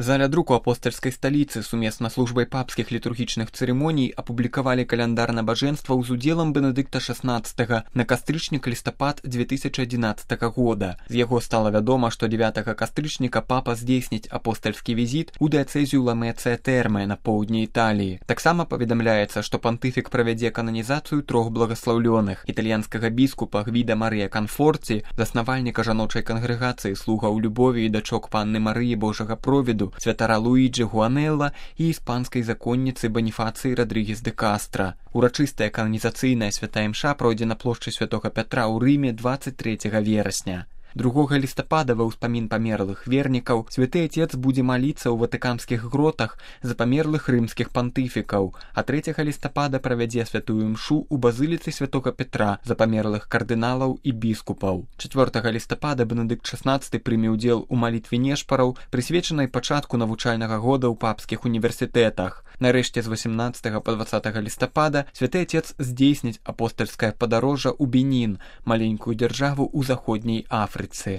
Заля друку апостальскай сталіцы сумесна з службай папскіх літургічных цырымоній апублікавалі каляндар набажэнстваў з удзелам Бенедыкта XVI на кастрычнік-лістапад 2011 года. З яго стала вядома, што 9 кастрычніка папа здзейсніць апостальскі візіт у дыяцэзію Ламецыя Тэрме на поўдні Італіі. Таксама паведамляецца, што пантыфік правядзе кананізацыю 3 благаслаўлёных: італьянскага біскупа Гвіда Марыя Канфорці, заснавальніка жаночай кангрэгацыі слугаў любові і дачок панны Марыі Божага провіду, святара Луіджы Гуанелла і іспанскай законніцы Баніфацыі Радрыгес де Кастра. Урачыстая кананізацыйная святая імша пройдзе на плошчы Святога Пятра ў Рыме 23 верасня. 2 лістапада ва ўспамін памерлых вернікаў святы Отец будзе маліцца ў ватыканскіх гротах за памерлых рымскіх пантыфікаў, а 3 лістапада правядзе святую імшу ў базыліцы Святога Петра за памерлых кардыналаў і біскупаў. 4 лістапада Бенедыкт XVI прыме ўдзел у малітве нешпараў, прысвечанай пачатку навучальнага года ў папскіх універсітэтах. Нарэшце з 18 па 20 лістапада святы Отец здзейсніць апостальскае падарожжа ў Бенін, маленькую дзяржаву ў заходняй Афрыцы.